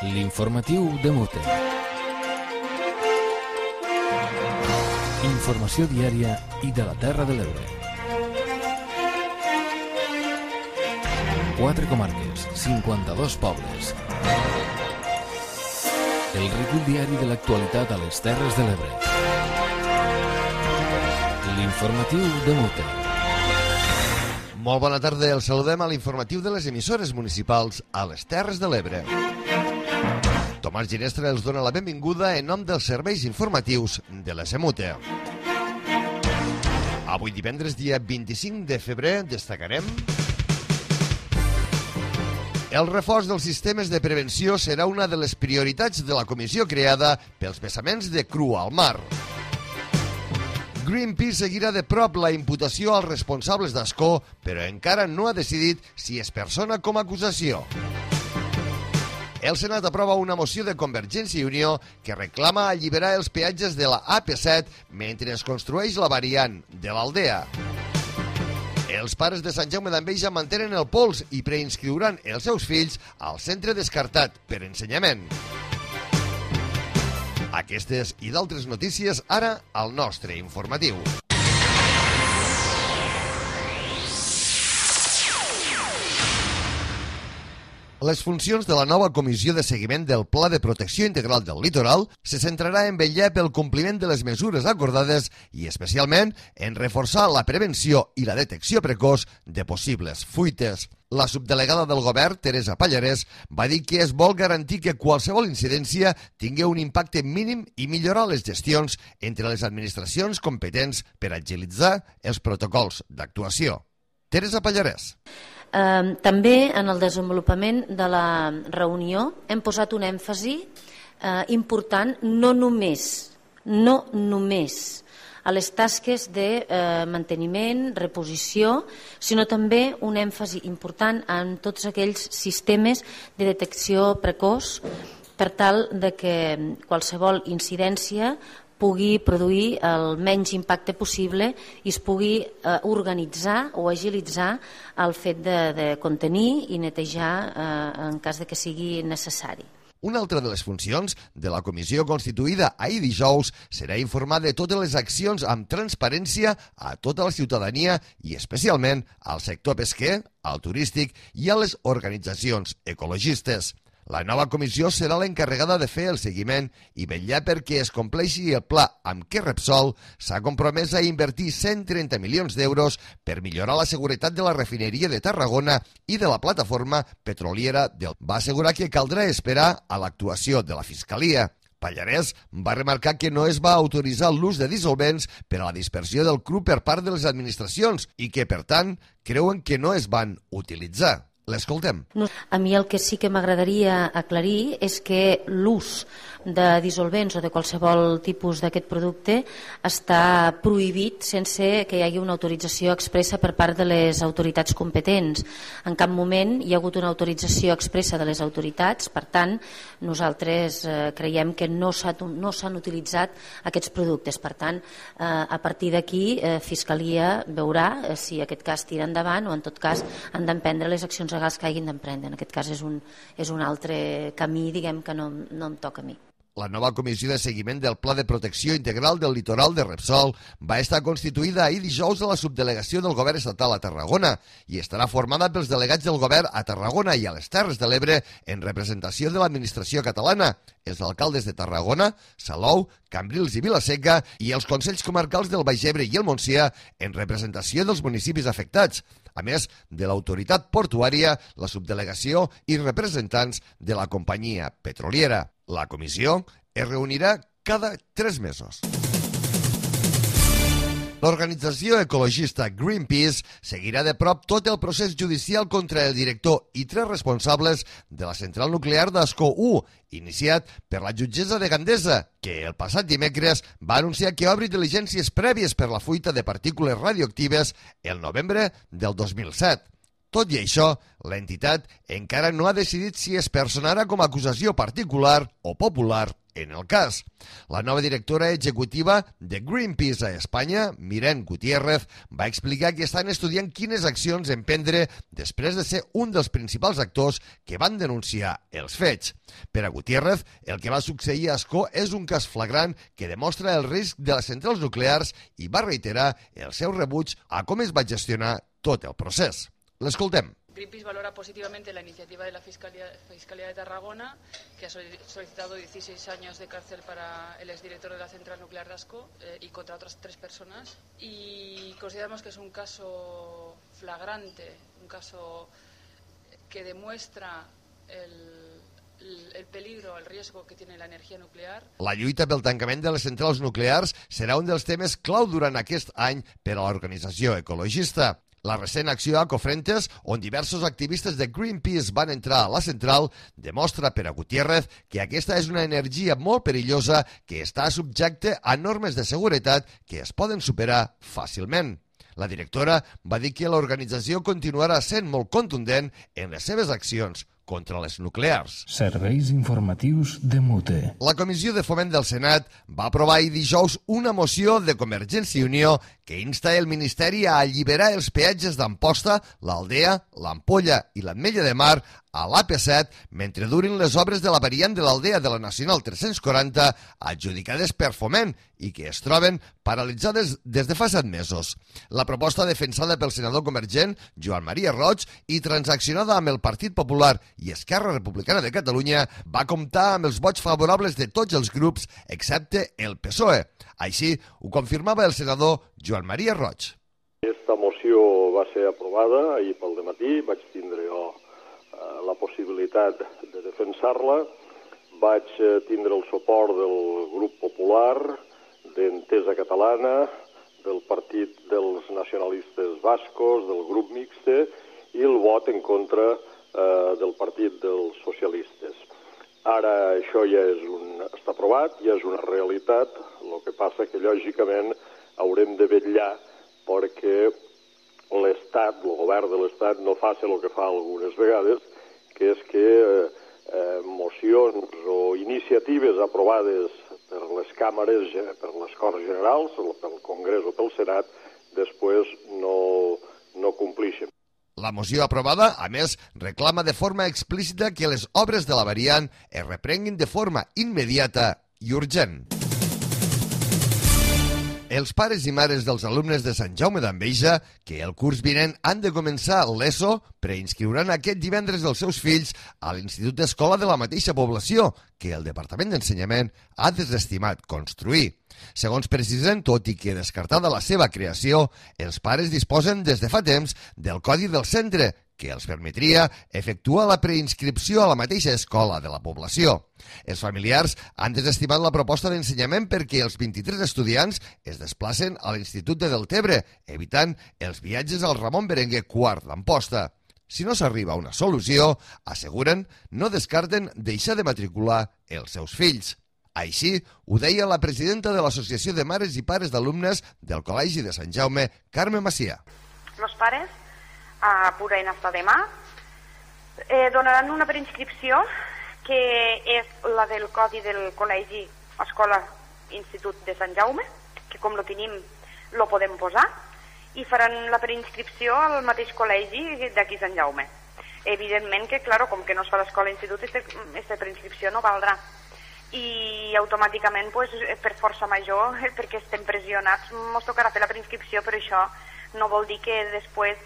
L'informatiu de Mute. Informació diària i de la Terra de l'Ebre. 4 comarques, 52 pobles. El recull diari de l'actualitat a les Terres de l'Ebre. L'informatiu de Mute. Molt bona tarda, els saludem a l'informatiu de les emissores municipals a les Terres de l'Ebre. Tomàs Ginestra els dona la benvinguda en nom dels serveis informatius de la SEMUTE. Avui divendres, dia 25 de febrer, destacarem: el reforç dels sistemes de prevenció serà una de les prioritats de la comissió creada pels vessaments de cru al mar. Greenpeace seguirà de prop la imputació als responsables d'Ascó, però encara no ha decidit si es persona com a acusació. El Senat aprova una moció de Convergència i Unió que reclama alliberar els peatges de la AP7 mentre es construeix la variant de l'Aldea. Els pares de Sant Jaume d'Enveja mantenen el pols i preinscriuran els seus fills al centre descartat per ensenyament. Aquestes i d'altres notícies ara al nostre informatiu. Les funcions de la nova Comissió de Seguiment del Pla de Protecció Integral del Litoral se centrarà en vetllar pel compliment de les mesures acordades i, especialment, en reforçar la prevenció i la detecció precoç de possibles fuites. La subdelegada del govern, Teresa Pallarès, va dir que es vol garantir que qualsevol incidència tingui un impacte mínim i millorar les gestions entre les administracions competents per agilitzar els protocols d'actuació. Teresa Pallarès. També en el desenvolupament de la reunió hem posat un èmfasi important no només a les tasques de manteniment, reposició, sinó també un èmfasi important en tots aquells sistemes de detecció precoç per tal de que qualsevol incidència pugui produir el menys impacte possible i es pugui organitzar o agilitzar el fet de contenir i netejar en cas de que sigui necessari. Una altra de les funcions de la comissió constituïda ahir dijous serà informar de totes les accions amb transparència a tota la ciutadania i especialment al sector pesquer, al turístic i a les organitzacions ecologistes. La nova comissió serà l'encarregada de fer el seguiment i vetllar perquè es compleixi el pla amb què Repsol s'ha compromès a invertir 130 milions d'euros per millorar la seguretat de la refineria de Tarragona i de la plataforma petroliera va assegurar que caldrà esperar a l'actuació de la Fiscalia. Pallarès va remarcar que no es va autoritzar l'ús de dissolvents per a la dispersió del cru per part de les administracions i que, per tant, creuen que no es van utilitzar. L'escoltem. A mi el que sí que m'agradaria aclarir és que l'ús de dissolvents o de qualsevol tipus d'aquest producte està prohibit sense que hi hagi una autorització expressa per part de les autoritats competents. En cap moment hi ha hagut una autorització expressa de les autoritats, per tant, nosaltres creiem que no s'han utilitzat aquests productes. Per tant, a partir d'aquí, Fiscalia veurà si aquest cas tira endavant o, en tot cas, han d'emprendre les accions legals que hagin d'emprendre. En aquest cas és un altre camí, diguem, que no em toca a mi. La nova comissió de seguiment del Pla de Protecció Integral del Litoral de Repsol va estar constituïda ahir dijous a la subdelegació del govern estatal a Tarragona i estarà formada pels delegats del govern a Tarragona i a les Terres de l'Ebre en representació de l'administració catalana, els alcaldes de Tarragona, Salou, Cambrils i Vila-seca i els consells comarcals del Baix Ebre i el Montsià en representació dels municipis afectats, a més de l'autoritat portuària, la subdelegació i representants de la companyia petroliera. La comissió es reunirà cada 3 mesos. L'organització ecologista Greenpeace seguirà de prop tot el procés judicial contra el director i 3 responsables de la central nuclear d'Ascó 1, iniciat per la jutgessa de Gandesa, que el passat dimecres va anunciar que obri diligències prèvies per la fuita de partícules radioactives el novembre del 2007. Tot i això, l'entitat encara no ha decidit si es personarà com a acusació particular o popular en el cas. La nova directora executiva de Greenpeace a Espanya, Miren Gutiérrez, va explicar que estan estudiant quines accions emprendre després de ser un dels principals actors que van denunciar els fets. Per a Gutiérrez, el que va succeir a Ascó és un cas flagrant que demostra el risc de les centrals nuclears i va reiterar el seu rebuig a com es va gestionar tot el procés. L'escoltem. Greenpeace valora positivamente la iniciativa de la Fiscalía de Tarragona, que ha solicitado 16 años de cárcel para el exdirector de la central nuclear de Ascó y contra otras 3 personas. Y consideramos que es un caso flagrante, un caso que demuestra el peligro, el riesgo que tiene la energia nuclear. La lluita pel tancament de les centrals nuclears serà un dels temes clau durant aquest any per a l'organització ecologista. La recent acció a Cofrentes, on diversos activistes de Greenpeace van entrar a la central, demostra per a Gutiérrez que aquesta és una energia molt perillosa que està subjecte a normes de seguretat que es poden superar fàcilment. La directora va dir que l'organització continuarà sent molt contundent en les seves accions contra les nuclears. Serveis informatius de Mute. La Comissió de Foment del Senat va aprovar ahir dijous una moció de Convergència i Unió que insta el Ministeri a alliberar els peatges d'Amposta, l'Aldea, l'Ampolla i l'Ametlla de Mar a l'AP7 mentre durin les obres de la variant de l'Aldea de la Nacional 340 adjudicades per Foment i que es troben paralitzades des de fa 7 mesos. La proposta defensada pel senador convergent Joan Maria Roig i transaccionada amb el Partit Popular i Esquerra Republicana de Catalunya va comptar amb els vots favorables de tots els grups excepte el PSOE. Així ho confirmava el senador Joan Maria Roig. Aquesta moció va ser aprovada ahir pel dematí, vaig tindre jo la possibilitat de defensar-la, vaig tindre el suport del grup popular, d'Entesa Catalana, del Partit dels Nacionalistes Bascos, del grup mixte i el vot en contra del Partit dels Socialistes. Ara això ja està aprovat, ja és una realitat, el que passa que lògicament haurem de vetllar perquè l'Estat, el govern de l'Estat, no faci el que fa algunes vegades, que és que mocions o iniciatives aprovades per les càmeres, per les Corts Generals, pel Congrés o pel Senat, després no complixen. La moció aprovada, a més, reclama de forma explícita que les obres de la variant es reprenguin de forma immediata i urgent. Els pares i mares dels alumnes de Sant Jaume d'Enveja, que el curs vinent han de començar l'ESO, preinscriuran aquest divendres els seus fills a l'Institut d'Escola de la mateixa població, que el Departament d'Ensenyament ha desestimat construir. Segons precisen, tot i que descartada la seva creació, els pares disposen des de fa temps del codi del centre, que els permetria efectuar la preinscripció a la mateixa escola de la població. Els familiars han desestimat la proposta d'ensenyament perquè els 23 estudiants es desplacen a l'Institut de Deltebre, evitant els viatges al Ramon Berenguer IV d'Amposta. Si no s'arriba a una solució, asseguren, no descarten deixar de matricular els seus fills. Així ho deia la presidenta de l'Associació de Mares i Pares d'Alumnes del Col·legi de Sant Jaume, Carme Macià. Los pares podran estar demà, donaran una preinscripció que és la del codi del col·legi Escola Institut de Sant Jaume, que com lo tenim lo podem posar, i faran la preinscripció al mateix col·legi d'aquí Sant Jaume. Evidentment que, claro, com que no es fa l'escola institut, aquesta preinscripció no valdrà. I automàticament, per força major, perquè estem pressionats, ens tocarà fer la preinscripció, però això no vol dir que després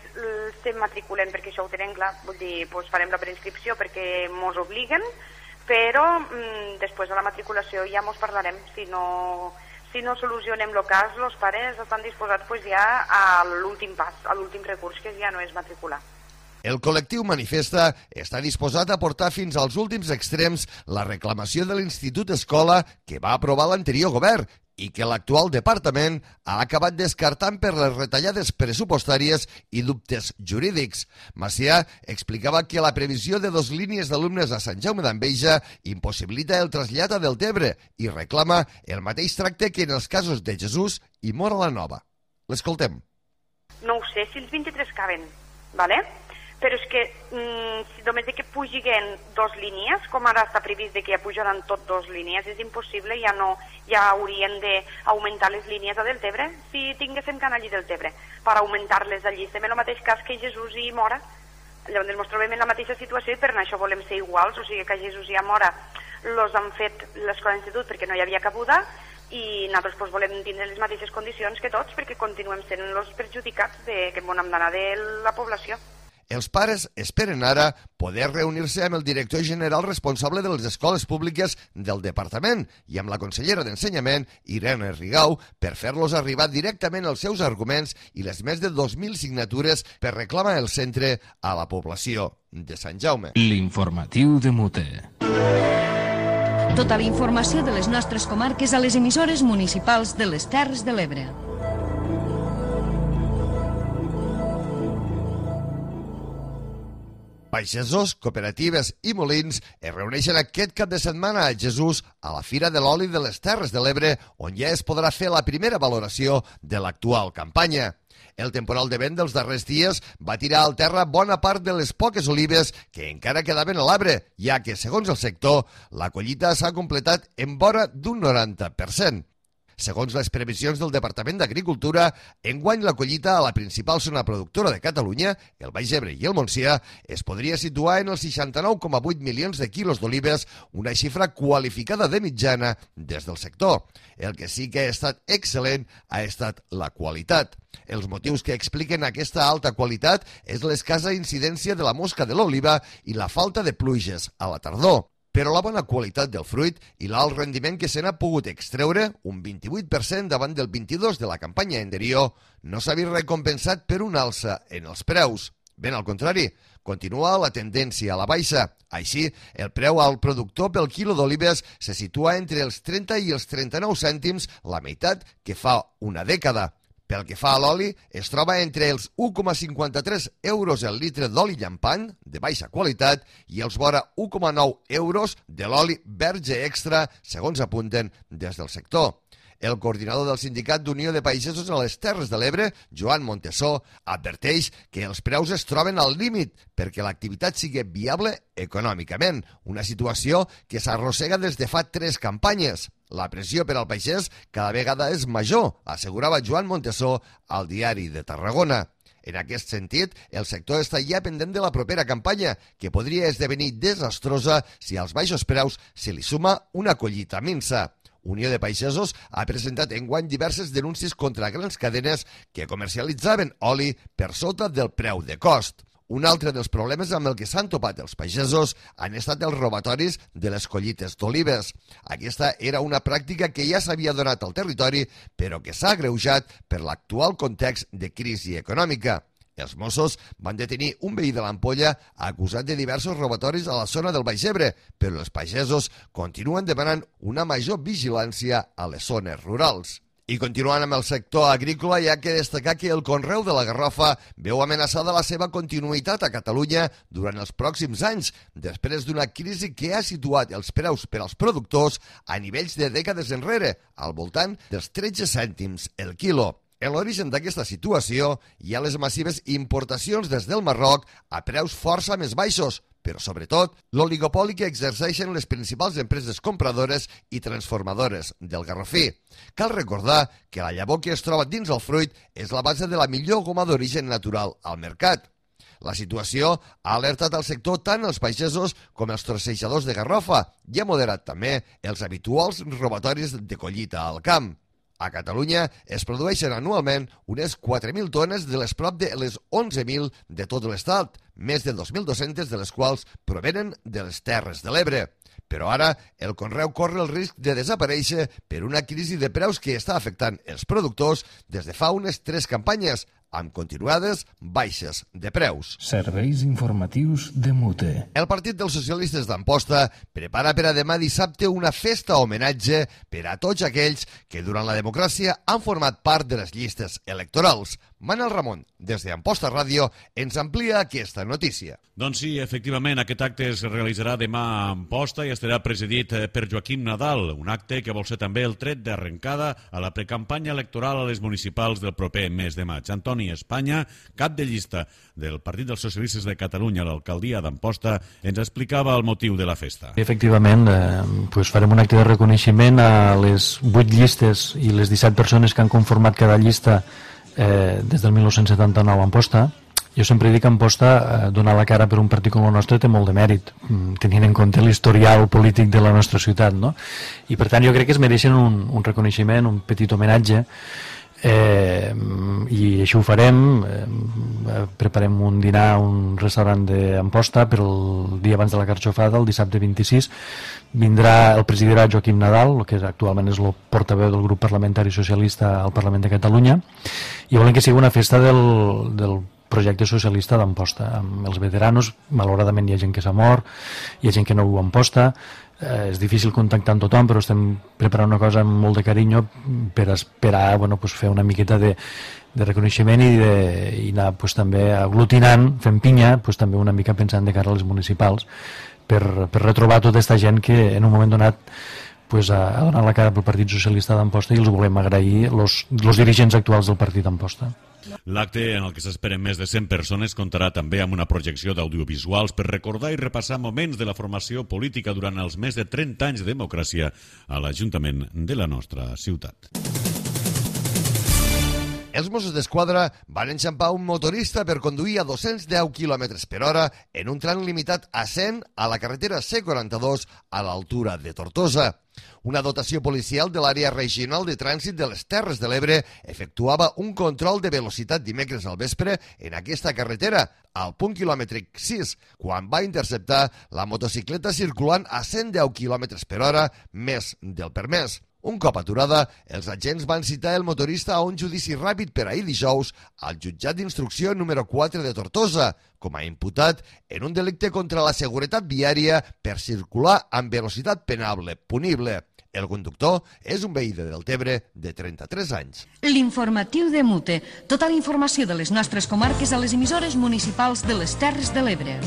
se matriculen, perquè això ho tenen clar. Vull dir, farem la preinscripció perquè ens obliguen, però després de la matriculació ja ens parlarem. Si no solucionem el cas, els pares estan disposats ja a l'últim pas, a l'últim recurs, que ja no és matricular. El col·lectiu manifesta està disposat a portar fins als últims extrems la reclamació de l'Institut Escola que va aprovar l'anterior govern i que l'actual departament ha acabat descartant per les retallades pressupostàries i dubtes jurídics. Macià explicava que la previsió de 2 línies d'alumnes a Sant Jaume d'Enveja impossibilita el trasllat a Deltebre i reclama el mateix tracte que en els casos de Jesús i Móra la Nova. L'escoltem. No ho sé si els 23 caben, ¿vale? però és que si només que pugin 2 línies, com ara està previst que ja pujaran tot 2 línies, és impossible, ja haurien d'augmentar les línies a Deltebre si tinguéssim canal allí Deltebre, per augmentar-les allí. Estem en el mateix cas que Jesús i Móra, llavors ens trobem en la mateixa situació i per això volem ser iguals, o sigui que a Jesús i a Móra los han fet l'escola d'institut perquè no hi havia cabuda i nosaltres volem tindre les mateixes condicions que tots perquè continuem sent els perjudicats que bon hem d'anar de la població. Els pares esperen ara poder reunir-se amb el director general responsable de les escoles públiques del departament i amb la consellera d'Ensenyament, Irene Rigau, per fer-los arribar directament els seus arguments i les més de 2.000 signatures per reclamar el centre a la població de Sant Jaume. L'informatiu de Mute. Tota la informació de les nostres comarques a les emissores municipals de les Terres de l'Ebre. Pagesos, cooperatives i molins es reuneixen aquest cap de setmana a Jesús a la Fira de l'Oli de les Terres de l'Ebre, on ja es podrà fer la primera valoració de l'actual campanya. El temporal de vent dels darrers dies va tirar al terra bona part de les poques olives que encara quedaven a l'arbre, ja que, segons el sector, la collita s'ha completat en vora d'un 90%. Segons les previsions del Departament d'Agricultura, enguany la collita a la principal zona productora de Catalunya, el Baix Ebre i el Montsià, es podria situar en els 69,8 milions de quilos d'olives, una xifra qualificada de mitjana des del sector. El que sí que ha estat excel·lent ha estat la qualitat. Els motius que expliquen aquesta alta qualitat és l'escassa incidència de la mosca de l'oliva i la falta de pluges a la tardor. Però la bona qualitat del fruit i l'alt rendiment que se n'ha pogut extreure, un 28% davant del 22% de la campanya anterior, no s'ha vist recompensat per una alça en els preus. Ben al contrari, continua la tendència a la baixa. Així, el preu al productor pel quilo d'olives se situa entre els 30 i els 39 cèntims, la meitat que fa una dècada. Pel que fa a l'oli, es troba entre els 1,53 euros el litre d'oli llampant, de baixa qualitat, i els vora 1,9 euros de l'oli verge extra, segons apunten des del sector. El coordinador del Sindicat d'Unió de Pagesos a les Terres de l'Ebre, Joan Montesó, adverteix que els preus es troben al límit perquè l'activitat sigui viable econòmicament, una situació que s'arrossega des de fa 3 campanyes. La pressió per al pagès cada vegada és major, assegurava Joan Montesó al Diari de Tarragona. En aquest sentit, el sector està ja pendent de la propera campanya, que podria esdevenir desastrosa si als baixos preus se li suma una collita minsa. Unió de Pagesos ha presentat enguany diverses denúncies contra grans cadenes que comercialitzaven oli per sota del preu de cost. Un altre dels problemes amb el que s'han topat els pagesos han estat els robatoris de les collites d'olives. Aquesta era una pràctica que ja s'havia donat al territori, però que s'ha agreujat per l'actual context de crisi econòmica. Els Mossos van detenir un veí de l'Ampolla acusat de diversos robatoris a la zona del Baix Ebre, però els pagesos continuen demanant una major vigilància a les zones rurals. I continuant amb el sector agrícola, hi ha que destacar que el conreu de la garrofa veu amenaçada la seva continuïtat a Catalunya durant els pròxims anys, després d'una crisi que ha situat els preus per als productors a nivells de dècades enrere, al voltant dels 13 cèntims el quilo. En l'origen d'aquesta situació hi ha les massives importacions des del Marroc a preus força més baixos, però sobretot l'oligopoli que exerceixen les principals empreses compradores i transformadores del garrofí. Cal recordar que la llavor que es troba dins el fruit és la base de la millor goma d'origen natural al mercat. La situació ha alertat al sector tant els pagesos com els trossejadors de garrofa i ha moderat també els habituals robatoris de collita al camp. A Catalunya es produeixen anualment unes 4.000 tones de les prop de les 11.000 de tot l'estat, més de 2.200 de les quals provenen de les Terres de l'Ebre. Però ara el conreu corre el risc de desaparèixer per una crisi de preus que està afectant els productors des de fa unes 3 campanyes, amb continuades baixes de preus. Serveis informatius de Mute. El Partit dels Socialistes d'Amposta prepara per a demà dissabte una festa homenatge per a tots aquells que durant la democràcia han format part de les llistes electorals. Manel Ramon, des d'Amposta Ràdio, ens amplia aquesta notícia. Doncs sí, efectivament, aquest acte es realitzarà demà a Amposta i estarà presidit per Joaquim Nadal, un acte que vol ser també el tret d'arrencada a la precampanya electoral a les municipals del proper mes de maig. Antoni Espanya, cap de llista del Partit dels Socialistes de Catalunya a l'alcaldia d'Amposta, ens explicava el motiu de la festa. Efectivament, farem un acte de reconeixement a les 8 llistes i les 17 persones que han conformat cada llista des del 1979 a Amposta. Jo sempre dic que Amposta donar la cara per un partit com el nostre té molt de mèrit, tenint en compte l'historial polític de la nostra ciutat, no? I per tant jo crec que es mereixen un reconeixement, un petit homenatge, i així ho farem. Preparem un dinar a un restaurant d'Amposta per el dia abans de la Carxofada, el dissabte 26. El presidirà Joaquim Nadal, que actualment és el portaveu del grup parlamentari socialista al Parlament de Catalunya, i volem que sigui una festa del projecte socialista d'Amposta, amb els veteranos. Malauradament hi ha gent que s'ha mort, hi ha gent que no viu a Amposta, és difícil contactar amb tothom, però estem preparant una cosa amb molt de carinyo per esperar fer una miqueta de reconeixement i anar també aglutinant, fent pinya, també una mica pensant de cara a les municipals, per retrobar tota aquesta gent que en un moment donat ha donat la cara pel Partit Socialista d'Amposta, i els volem agrair los dirigents actuals del Partit d'Amposta. L'acte, en el que s'esperen més de 100 persones, comptarà també amb una projecció d'audiovisuals per recordar i repassar moments de la formació política durant els més de 30 anys de democràcia a l'Ajuntament de la nostra ciutat. Els Mossos d'Esquadra van enxampar un motorista per conduir a 210 km per hora en un tram limitat a 100 a la carretera C42 a l'altura de Tortosa. Una dotació policial de l'àrea regional de trànsit de les Terres de l'Ebre efectuava un control de velocitat dimecres al vespre en aquesta carretera, al punt quilòmetric 6, quan va interceptar la motocicleta circulant a 110 km per hora més del permès. Un cop aturada, els agents van citar el motorista a un judici ràpid per ahir dijous al jutjat d'instrucció número 4 de Tortosa, com a imputat en un delicte contra la seguretat viària per circular amb velocitat penable, punible. El conductor és un veí de Deltebre de 33 anys. L'informatiu de Mute. Tota la informació de les nostres comarques a les emissores municipals de les Terres de l'Ebre.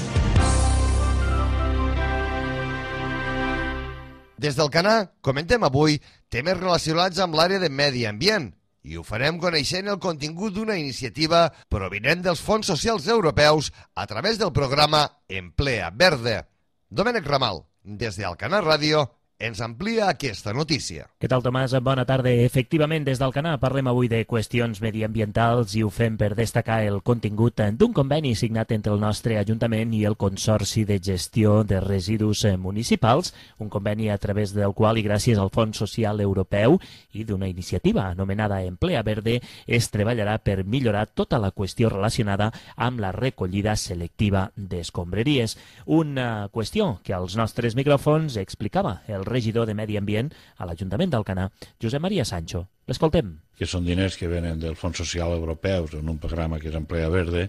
Des del Canà comentem avui temes relacionats amb l'àrea de medi ambient i ho farem coneixent el contingut d'una iniciativa provinent dels fons socials europeus a través del programa Emplea Verde. Domènec Ramal, des d'Alcanar Ràdio, ens amplia aquesta notícia. Què tal, Tomàs? Bona tarda. Efectivament, des d'Alcanar parlem avui de qüestions mediambientals i ho fem per destacar el contingut d'un conveni signat entre el nostre Ajuntament i el Consorci de Gestió de Residus Municipals, un conveni a través del qual, i gràcies al Fons Social Europeu i d'una iniciativa anomenada Emplea Verde, es treballarà per millorar tota la qüestió relacionada amb la recollida selectiva d'escombraries. Una qüestió que als nostres micròfons explicava el regidor de Medi Ambient a l'Ajuntament d'Alcanar, Josep Maria Sancho. L'escoltem. Que són diners que venen del Fons Social Europeu en un programa que és Emplea Verde,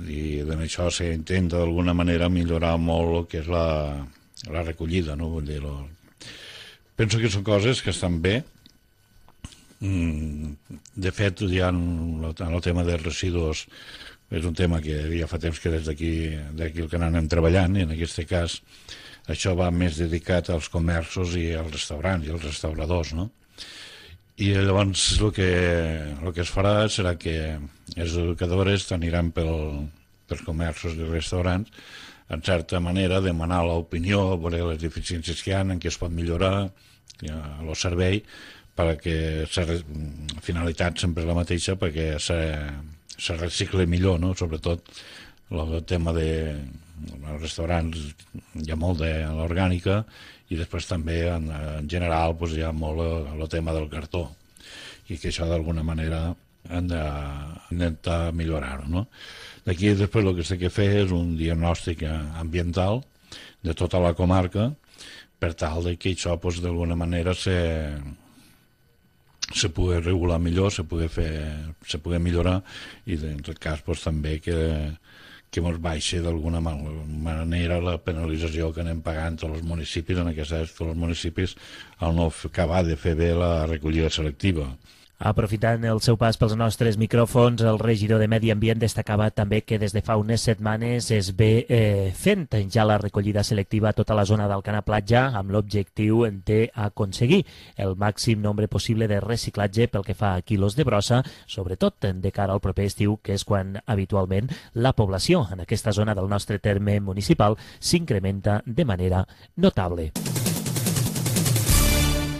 i amb això s'intenta d'alguna manera millorar molt el que és la recollida, no? Vull dir, penso que són coses que estan bé. De fet, ja en el tema dels residus és un tema que ja fa temps que des d'aquí el que anem treballant, i en aquest cas això va més dedicat als comerços i als restaurants i als restauradors, no? I llavors el que es farà serà que els educadors aniran pels comerços i restaurants, en certa manera, demanar l'opinió, veure les deficiències que hi ha, en què es pot millorar el servei, perquè la finalitat sempre és la mateixa, perquè se recicle millor, no? Sobretot el tema als restaurants hi ha molt de l'orgànica, i després també en general hi ha molt el tema del cartó, i que això d'alguna manera hem d'intentar millorar-ho, no? D'aquí després el que s'ha de fer és un diagnòstic ambiental de tota la comarca, per tal que això d'alguna manera se pugui regular millor, se pugui millorar, i en tot cas també que ens baixi d'alguna manera la penalització que anem pagant tots els municipis, en aquest cas tots els municipis, al no acabar de fer bé la recollida selectiva. Aprofitant el seu pas pels nostres micròfons, el regidor de Medi Ambient destacava també que des de fa unes setmanes es ve fent ja la recollida selectiva a tota la zona d'Alcanar Platja amb l'objectiu d'aconseguir el màxim nombre possible de reciclatge pel que fa a quilos de brossa, sobretot de cara al proper estiu, que és quan habitualment la població en aquesta zona del nostre terme municipal s'incrementa de manera notable.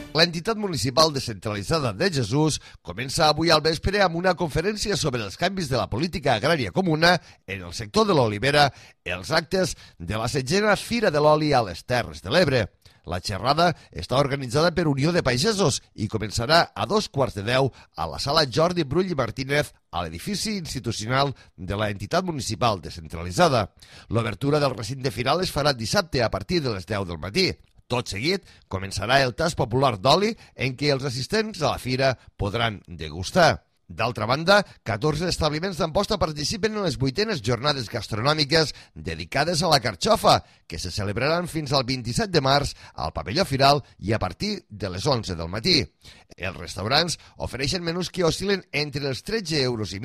L'entitat municipal descentralitzada de Jesús comença avui al vespre amb una conferència sobre els canvis de la política agrària comuna en el sector de l'olivera, els actes de la 7a Fira de l'Oli a les Terres de l'Ebre. La xerrada està organitzada per Unió de Pagesos i començarà a 2:15 a la sala Jordi Brull i Martínez a l'edifici institucional de la entitat municipal descentralitzada. L'obertura del recinte final es farà dissabte a partir de les 10 del matí. Tot seguit, començarà el tast popular d'oli en què els assistents a la fira podran degustar. D'altra banda, 14 establiments d'Amposta participen en les 8enes jornades gastronòmiques dedicades a la carxofa, que se celebraran fins al 27 de març al pavelló Firal i a partir de les 11 del matí. Els restaurants ofereixen menús que oscil·len entre els 13,5 euros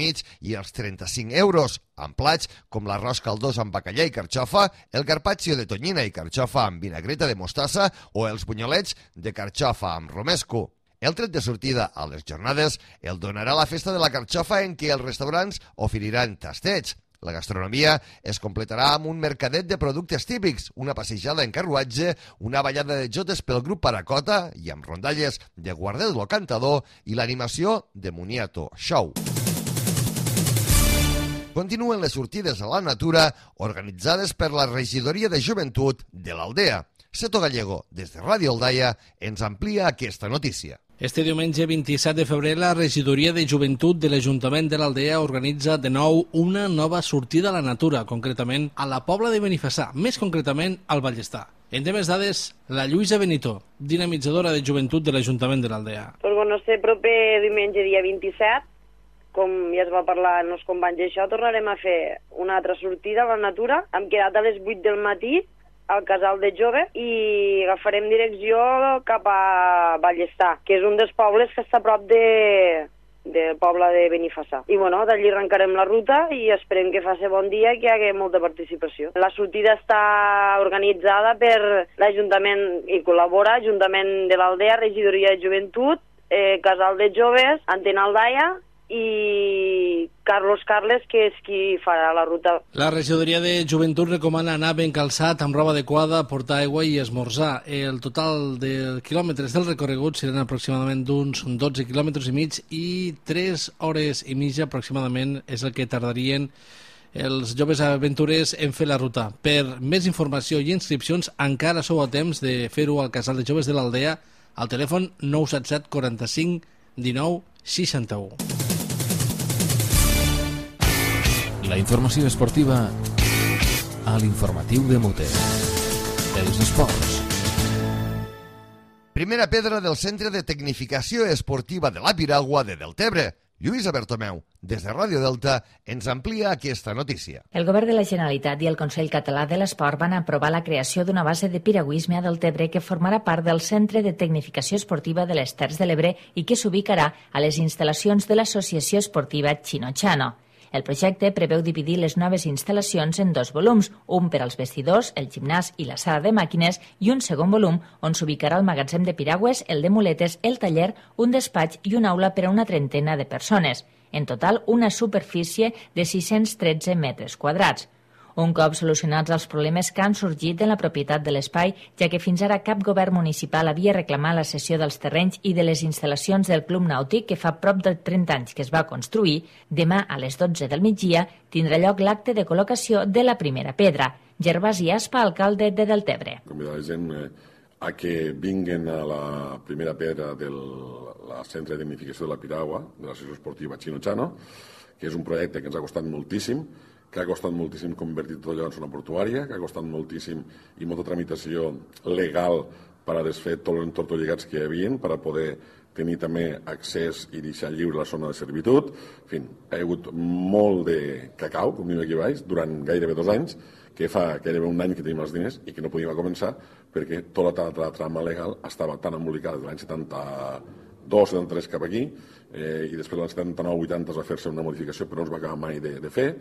i els 35 euros, amb plats com l'arròs caldós amb bacallà i carxofa, el carpaccio de tonyina i carxofa amb vinagreta de mostassa o els bunyolets de carxofa amb romesco. El tret de sortida a les jornades el donarà la festa de la carxofa en què els restaurants oferiran tastets. La gastronomia es completarà amb un mercadet de productes típics, una passejada en carruatge, una ballada de jotes pel grup Paracota i amb rondalles de Guardet lo Cantador i l'animació de Moniato Show. Continuen les sortides a la natura organitzades per la Regidoria de Joventut de l'Aldea. Seto Gallego, des de Ràdio Aldaia, ens amplia aquesta notícia. Este diumenge 27 de febrer, la Regidoria de Joventut de l'Ajuntament de l'Aldea organitza de nou una nova sortida a la natura, concretament a la Pobla de Benifassà, més concretament al Ballestar. En temes dades, la Lluïsa Benito, dinamitzadora de Joventut de l'Ajuntament de l'Aldea. Pues bueno, este proper diumenge dia 27, com ja es va parlar amb els companys d'això, tornarem a fer una altra sortida a la natura. Hem quedat a les 8 del matí al Casal de Jove i agafarem direcció cap a Ballestar, que és un dels pobles que està a prop del poble de Benifassà. I bueno, d'allí arrencarem la ruta i esperem que faci bon dia i que hi hagi molta participació. La sortida està organitzada per l'Ajuntament i col·labora Ajuntament de l'Aldea, Regidoria de Joventut, Casal de Joves, Antena Aldaia i Carlos Carles, que és qui farà la ruta. La Regidoria de Joventut recomana anar ben calçat, amb roba adequada, portar aigua i esmorzar. El total de quilòmetres del recorregut seran aproximadament d'uns 12 quilòmetres i mig i 3 hores i mitja aproximadament és el que tardarien els joves aventurers en fer la ruta. Per més informació i inscripcions encara sou a temps de fer-ho al Casal de Joves de l'Aldea al telèfon 977 45 19 61. La informació esportiva a l'informatiu de Mute. Els esports. Primera pedra del Centre de Tecnificació Esportiva de la Piragua de Deltebre. Lluïsa Bertomeu, des de Ràdio Delta, ens amplia aquesta notícia. El Govern de la Generalitat i el Consell Català de l'Esport van aprovar la creació d'una base de piragüisme a Deltebre que formarà part del Centre de Tecnificació Esportiva de les Terres de l'Ebre i que s'ubicarà a les instal·lacions de l'Associació Esportiva Chino-Chano. El projecte preveu dividir les noves instal·lacions en 2 volums, un per als vestidors, el gimnàs i la sala de màquines i un segon volum on s'ubicarà el magatzem de piragües, el de muletes, el taller, un despatx i una aula per a una trentena de persones. En total, una superfície de 613 metres quadrats. Un cop solucionats els problemes que han sorgit en la propietat de l'espai, ja que fins ara cap govern municipal havia reclamat la cessió dels terrenys i de les instal·lacions del Club Nàutic, que fa prop de 30 anys que es va construir, demà a les 12 del migdia tindrà lloc l'acte de col·locació de la primera pedra. Gervasi Aspa, alcalde de Deltebre. Convidar la gent a que vinguen a la primera pedra del Centre de Tecnificació de la Piragua, de l'Associació Esportiva Chino-Chano, que és un projecte que ens ha costat moltíssim, que ha costat moltíssim convertir tot allò en zona portuària, que ha costat moltíssim i molta tramitació legal per a desfer tots els entortolligats que hi havia, per a poder tenir també accés i deixar lliure la zona de servitud. En fi, hi ha hagut molt de cacau, com diu aquí baix, durant gairebé 2 anys, que fa gairebé 1 any que tenim els diners i que no podíem començar perquè tota la trama legal estava tan embolicada des de l'any 2,73 cap aquí, i després l'any 79-80 es va fer-se una modificació però no es va acabar mai de fer,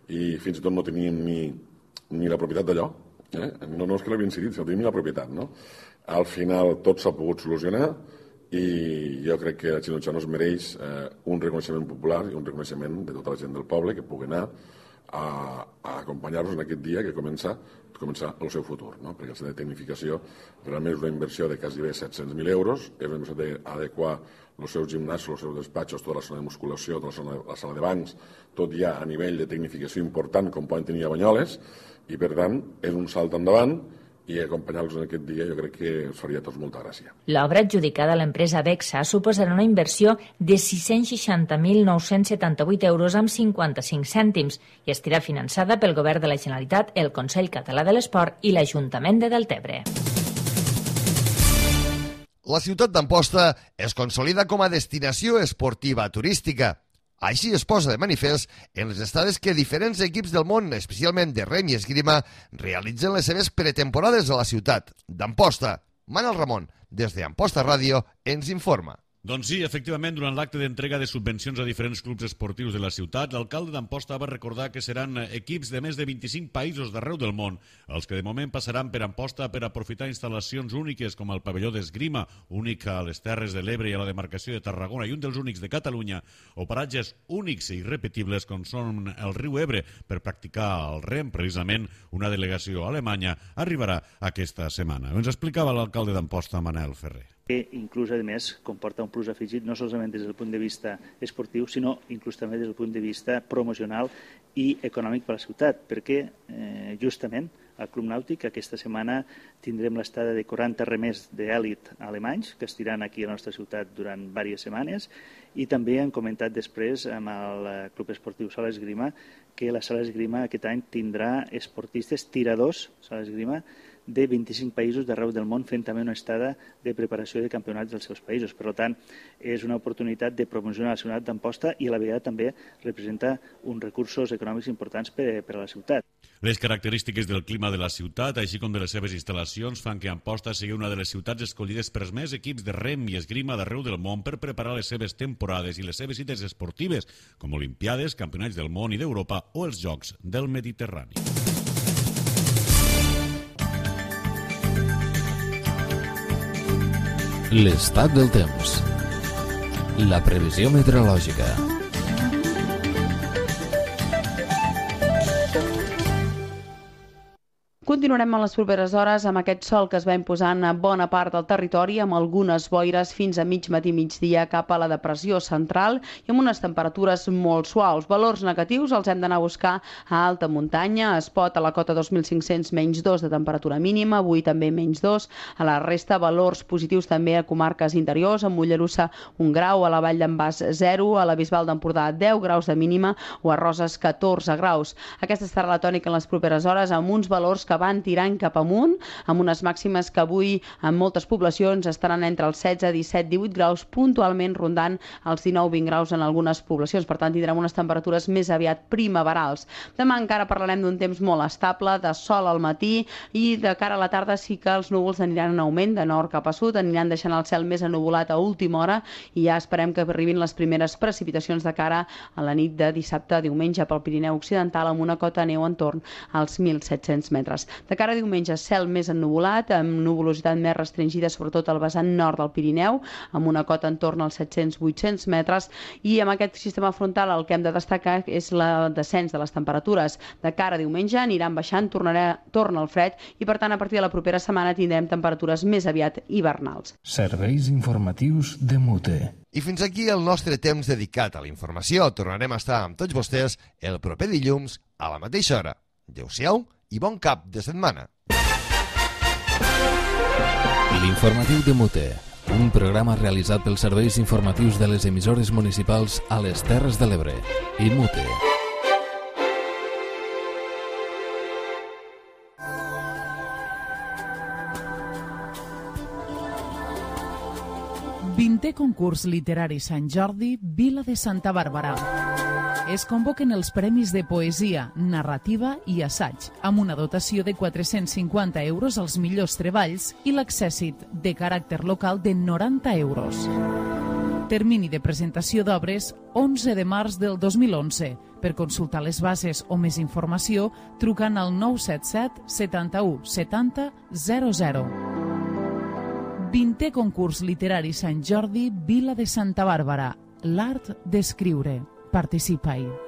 i fins i tot no teníem ni la propietat d'allò. No és que l'havien cedit, sinó tenim la propietat. Al final tot s'ha pogut solucionar i jo crec que la Xinotxano es mereix un reconeixement popular i un reconeixement de tota la gent del poble que pugui anar a acompanyar-nos en aquest dia que comença el seu futur, perquè el centre de tecnificació realment és una inversió de quasi 700.000 euros, és una inversió d'adequar els seus gimnasos, els seus despatxos, tota la zona de musculació, tota la sala de bancs, tot ja a nivell de tecnificació important com poden tenir a Banyoles, i per tant és un salt endavant i acompanyar-los en aquest dia jo crec que ens faria a tots molta gràcia. L'obra adjudicada a l'empresa Bexa suposarà una inversió de 660.978 euros amb 55 cèntims i estarà finançada pel Govern de la Generalitat, el Consell Català de l'Esport i l'Ajuntament de Deltebre. La ciutat d'Amposta es consolida com a destinació esportiva turística. Així es posa de manifest en les estades que diferents equips del món, especialment de rem i esgrima, realitzen les seves pretemporades a la ciutat d'Amposta. Manel Ramon, des d'Amposta Ràdio, ens informa. Doncs sí, efectivament, durant l'acte d'entrega de subvencions a diferents clubs esportius de la ciutat, l'alcalde d'Amposta va recordar que seran equips de més de 25 països d'arreu del món, els que de moment passaran per Amposta per aprofitar instal·lacions úniques com el pavelló d'esgrima, únic a les Terres de l'Ebre i a la demarcació de Tarragona i un dels únics de Catalunya, o paratges únics i irrepetibles com són el riu Ebre per practicar el rem. Precisament una delegació alemanya arribarà aquesta setmana. Ens explicava l'alcalde d'Amposta, Manel Ferrer. Que inclús, a més, comporta un plus afegit no solament des del punt de vista esportiu, sinó inclús també des del punt de vista promocional i econòmic per a la ciutat, perquè justament al Club Nàutic aquesta setmana tindrem l'estada de 40 remers d'èlit alemanys que estiran aquí a la nostra ciutat durant diverses setmanes, i també hem comentat després amb el Club Esportiu Sala Esgrima que la Sala Esgrima aquest any tindrà esportistes tiradors, Sala Esgrima, de 25 països d'arreu del món fent també una estada de preparació de campionats dels seus països. Per tant, és una oportunitat de promocionar la ciutat d'Amposta i a la vegada també representa uns recursos econòmics importants per a la ciutat. Les característiques del clima de la ciutat, així com de les seves instal·lacions, fan que Amposta sigui una de les ciutats escollides per més equips de rem i esgrima d'arreu del món per preparar les seves temporades i les seves cites esportives, com Olimpiades, Campionats del món i d'Europa o els Jocs del Mediterrani. L'estat del temps. La previsió meteorològica. Continuarem en les properes hores amb aquest sol que es va imposant a bona part del territori, amb algunes boires fins a mig matí migdia cap a la depressió central i amb unes temperatures molt suaus. Valors negatius els hem d'anar a buscar a alta muntanya. A Espot, a la cota 2.500, -2 de temperatura mínima, avui també -2. A la resta, valors positius també a comarques interiors, a Mollerussa 1 grau, a la Vall d'en Bas 0, a la Bisbal d'Empordà 10 graus de mínima o a Roses 14 graus. Aquesta serà la tònica en les properes hores, amb uns valors que van tirant cap amunt, amb unes màximes que avui en moltes poblacions estaran entre els 16, 17, 18 graus, puntualment rondant els 19, 20 graus en algunes poblacions. Per tant, tindrem unes temperatures més aviat primaverals. Demà encara parlarem d'un temps molt estable, de sol al matí, i de cara a la tarda sí que els núvols aniran en augment de nord cap a sud, aniran deixant el cel més ennuvolat a última hora i ja esperem que arribin les primeres precipitacions de cara a la nit de dissabte a diumenge pel Pirineu Occidental, amb una cota de neu entorn als 1.700 metres. De cara a diumenge, cel més ennuvolat, amb nuvolositat més restringida, sobretot al vessant nord del Pirineu, amb una cota entorn als 700-800 metres, i amb aquest sistema frontal el que hem de destacar és el descens de les temperatures. De cara a diumenge aniran baixant, torna el fred, i per tant a partir de la propera setmana tindrem temperatures més aviat hivernals. Serveis informatius de Mute. I fins aquí el nostre temps dedicat a la informació. Tornarem a estar amb tots vostès el proper dilluns a la mateixa hora. Adéu-siau i bon cap de setmana. L'informatiu de Mute, un programa realitzat pels serveis informatius de les emissores municipals a les Terres de l'Ebre i Mute. Vintè concurs literari Sant Jordi, Vila de Santa Bàrbara. Es convoquen els premis de poesia, narrativa i assaig, amb una dotació de 450 euros als millors treballs i l'accèssit de caràcter local de 90 euros. Termini de presentació d'obres 11 de març del 2011. Per consultar les bases o més informació, trucant al 977 71 70 00. 20è concurs literari Sant Jordi, Vila de Santa Bàrbara. L'art d'escriure. Participa-hi.